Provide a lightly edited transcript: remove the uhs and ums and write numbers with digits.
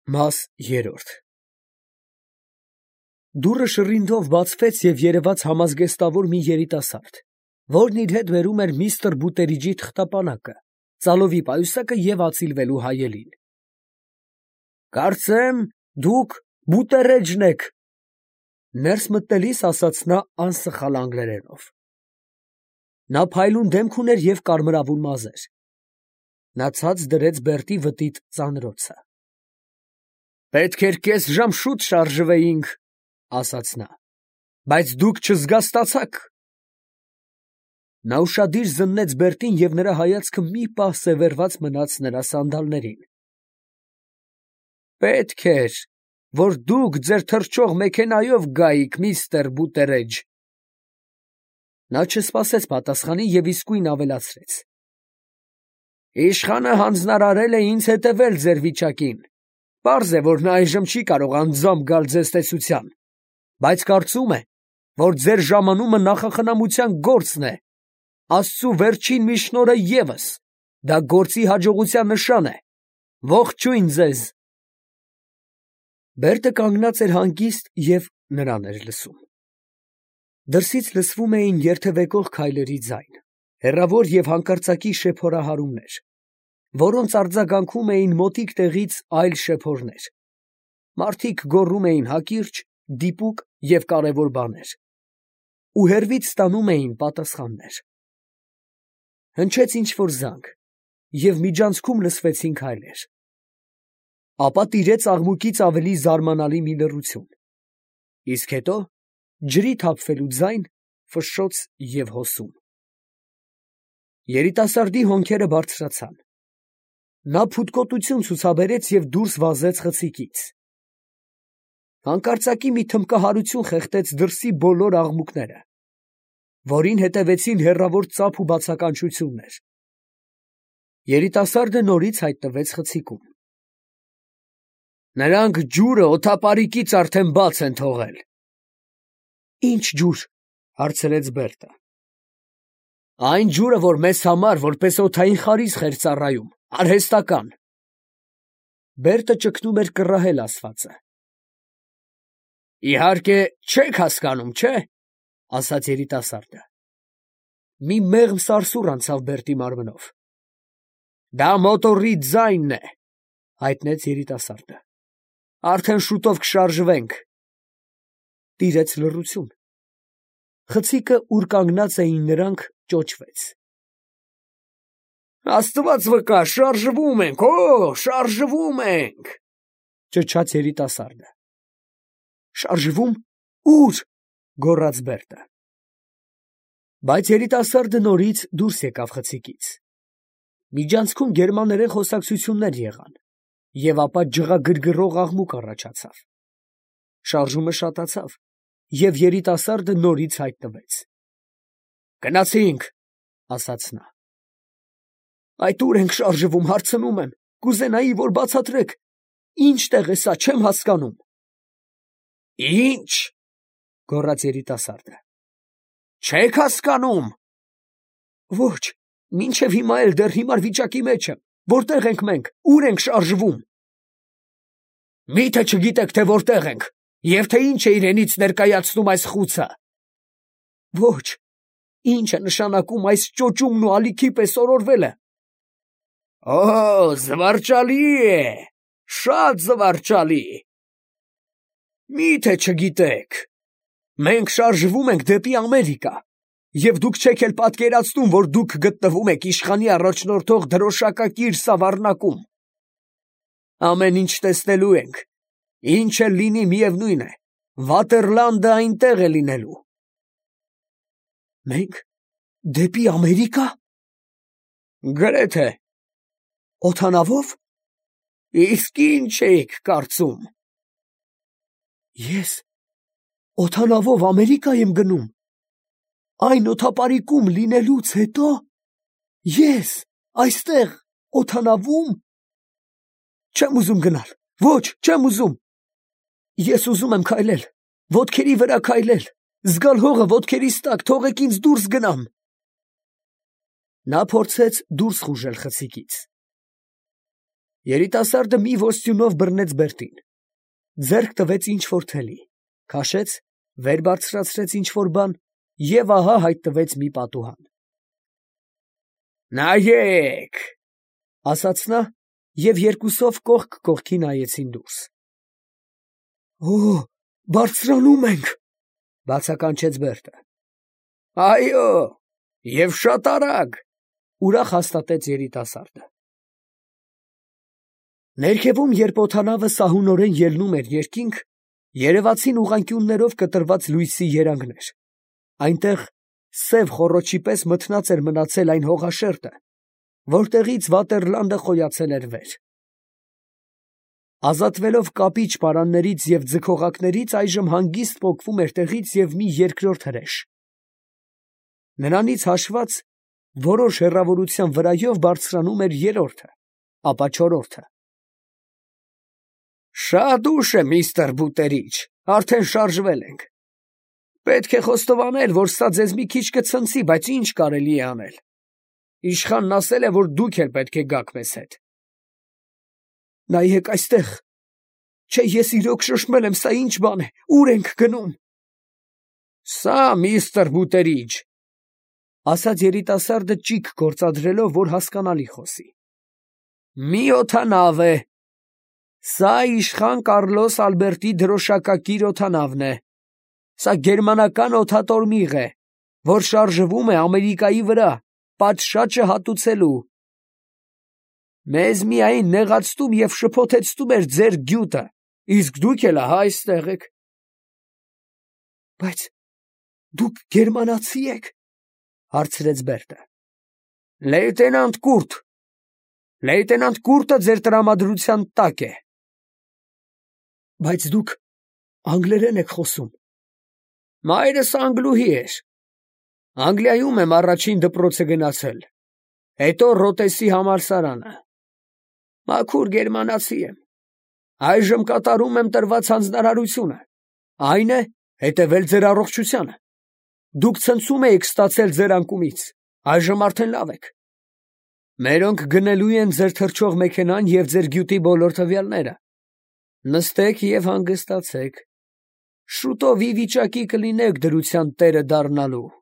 Մաս 3 Դուռը շռինգով բացվեց և երևաց համազգեստավոր մի երիտասարդ, որն իր հետ բերում էր միստր Բուտերիջի թղթապանակը, ծալովի պայուսակը և ածիլվելու հայելին։ ֊ Կարծեմ, դուք Բուտերեջն եք, ֊ ներս մտնելիս ասաց նա անսխալ անգլերենով. նա փայլուն դեմք ուներ և կարմրավուն մազեր. նա ցած դրեց Բերտի վտիտ ծանրոցը։ ֊ Պետք էր կես ժամ շուտ շարժվեինք, ֊ ասաց նա, ֊ բայց դուք չզգաստացաք։ Նա ուշադիր զննեց Բերտին, և նրա հայացքը մի պահ սևեռված մնաց նրա սանդալներին։ ֊ Պետք էր, որ դուք ձեր թռչող մեքենայով գայիք, միստր Բուտերեջ։ Նա չսպասեց պատասխանի և իսկույն ավելացրեց. Իշխանը հանձնարարել է ինձ հետևել ձեր վիճակին. պարզ է, որ նա այժմ չի կարող անձամբ գալ ձեզ տեսության, բայց կարծում է, որ ձեր ժամանումը նախախնամության գործն է, Աստծու վերջին մի շնորհը ևս, դա գործի հաջողության նշան է, ողջույն ձեզ։ Բերտը կանգնած էր հանգիստ և նրան էր լսում։ Դրսից լսվում էին երթևեկող քայլերի ձայն, հեռավոր և հանկարծակի շեփորահարումներ, որոնց արձագանքում էին մոտիկ տեղից այլ շեփորներ. մարդիկ գոռում էին հակիրճ, դիպուկ և կարևոր բաներ, ու հեռվից ստանում էին պատասխաններ։ Հնչեց ինչ֊որ զանգ, և միջանցքում լսվեցին քայլեր։ Ապա տիրեց աղմուկից ավելի զարմանալի մի լռություն, իսկ հետո ջրի թափվելու ձայն, ֆշշոց և հոսում։ Երիտասարդի հոնքերը բարձրացան։ Նա փութկոտություն ցուցաբերեց և դուրս վազեց խցիկից։ Հանկարծակի մի թմբկահարություն խեղդեց դրսի բոլոր աղմուկները, որին հետևեցին հեռավոր ծափ ու բացականչություններ։ Երիտասարդը նորից հայտնվեց խցիկում։ Նրանք ջուրը օդապարիկից արդեն բաց են թողել։ ֊ Ի՞նչ ջուր, ֊ հարցրեց Բերտը։ ֊ Այն ջուրը, որ մեզ համար որպես օդային խարիսխ էր ծառայում, արհեստական։ Բերտը ճգնում էր կռահել ասվածը։ ֊ Իհարկե չեք հասկանում, չէ՞, ֊ ասաց երիտասարդը։ Մի մեղմ սարսուռ անցավ Բերտի մարմնով։ ֊ Դա մոտորի ձայնն է, ֊ հայտնեց երիտասարդը։ ֊ Արդեն շուտով կշարժվենք։ Տիրեց լռություն։ Խցիկը, ուր կանգնած էին նրանք, ճոճվեց։ Աստված վկա, շարժվում ենք, շարժվում ենք, ֊ ճչաց երիտասարդը։ Շարժվում, ո՞ւր, ֊ գոռաց Բերտը։ Բայց երիտասարդը նորից դուրս եկավ խցիկից։ Միջանցքում գերմաներեն խոսակցություններ եղան, և ապա ջղագրգռող աղմուկ առաջացավ։ Շարժումը շատացավ, և երիտասարդը նորից հայտնվեց։ ֊ Գնացինք, ֊ ասաց նա։ Այդ ո՞ւր ենք շարժվում, հարցնում եմ, կուզենայի, որ բացատրեք, ի՞նչ տեղ է սա, չեմ հասկանում։ ֊ Ի՞նչ, ֊ գոռաց երիտասարդը, ֊ չեք հասկանում։ ֊ Ոչ, մինչև հիմա էլ դեռ հիմար վիճակի մեջ եմ, որտե՞ղ ենք մենք, ո՞ւր ենք շարժվում։ ֊ Մի՞թե չգիտեք, թե որտեղ ենք, և թե ինչ է իրենից ներկայացնում այս խուցը։ ֊ Ոչ, ի՞նչ է նշանակում այս ճոճումն ու ալիքի պես օրորվելը։ ֊ Զվարճալի է, շատ զվարճալի։ ֊ Մի՞թե չգիտեք, մենք շարժվում ենք դեպի Ամերիկա, և դուք չեք էլ պատկերացնում, որ դուք գտնվում եք իշխանի առաջնորդող դրոշակակիր Սավառնակում։ Ամեն ինչ տեսնելու ենք, ինչ էլ լինի, միևնույն է, Վատերլանդը այնտեղ է լինելու։ ֊ Մենք դեպի Ամերիկա։ ֊ Գրեթե։ ֊ Օդանավո՞վ։ ֊ Իսկ ի՞նչ էիք կարծում։ ֊ Ես օդանավով Ամերիկա եմ գնում, այն օդապարիկում լինելուց հետո, ես այստեղ օդանավում։ ֊ Չեմ ուզում գնալ, ոչ, չեմ ուզում։ Ես ուզում եմ քայլել, ոտքերի վրա քայլել, զգալ հողը ոտքերիս տակ, թողեք ինձ դուրս գնամ։ Նա փորձեց դուրս խուժել խցիկից։ Երիտասարդը մի ոստյունով բռնեց Բերտին, ձեռք տվեց ինչ-որ թելի, քաշեց, վեր բարձրացրեց ինչ-որ բան և ահա հայտնվեց մի պատուհան։ «Նայեք», ասաց նա, և երկուսով կողք կողքի նայեցին դուրս։ «Օ, բարձրանում ենք», բացականչեց Բերտը։ «Այո, և շատ արագ», ուրախ հաստատեց երիտասարդը։ Ներքևում, երբ օդանավը սահունորեն ելնում էր երկինք, երևացին ուղղանկյուններով կտրված լույսի երանգներ. այնտեղ սև խոռոչի պես մթնած էր մնացել այն հողաշերտը, որտեղից Վատերլանդը խոյացել էր վեր։ Ազատվելով կապիչ պարաններից և ձգողակներից, այժմ հանգիստ պոկվում էր տեղից և մի երկրորդ հրեշ. նրանից հաշված որոշ հեռավորության վրայով բարձրանում էր երրորդը, ապա չորրորդը։ «Շատ ուշ է, միստր Բուտերիջ, արդեն շարժվել ենք։ Պետք է խոստովանել, որ սա ձեզ մի քիչ կցնցի, բայց ինչ կարելի է անել։ Իշխանն ասել է, որ դուք էլ պետք է գաք մեզ հետ»։ «Նայեք այստեղ, չէ ես իրոք շշմել եմ, սա ի՞նչ բան է, ո՞ւր ենք գնում»։ «Սա, միստր Բուտերիջ», ասաց երիտասարդը ճիգ գործադրելով, որ հասկանալի խոսի, «մի օդանավ է։ Սա իշխան Կառլոս Ալբերտի դրոշակակիր օդանավն է։ Սա գերմանական օդատորմիղ է, որ շարժվում է Ամերիկայի վրա, պատշաճը հատուցելու։ Մեզ միայն նեղացնում և շփոթեցնում էր ձեր գյուտը, իսկ դուք էլ ահա այստեղ եք»։ «Բայց դուք գերմանացի եք, հարցրեց Բերտը։ Լեյտենանտ Կուրտը ձեր տրամադրության տակ է։ «Բայց դուք անգլերեն եք խոսում»։ «Մայրս անգլուհի էր։ Անգլիայում եմ առաջին դպրոցը գնացել, հետո Ռոտեսի համալսարանը։ Մաքուր գերմանացի եմ։ Այժմ կատարում եմ տրված հանձնարարությունը, այն է հետևել ձեր առողջությանը։ Դուք ցնցում էիք ստացել ձեր անկումից, այժմ արդեն լավ եք։ Մերոնք գնելու են ձեր թռչող մեքենան և ձեր գյուտի բոլոր տվյալները։ Նստեք և հանգստացեք, շուտով ի վիճակի կլինեք դրության տերը դառնալու»։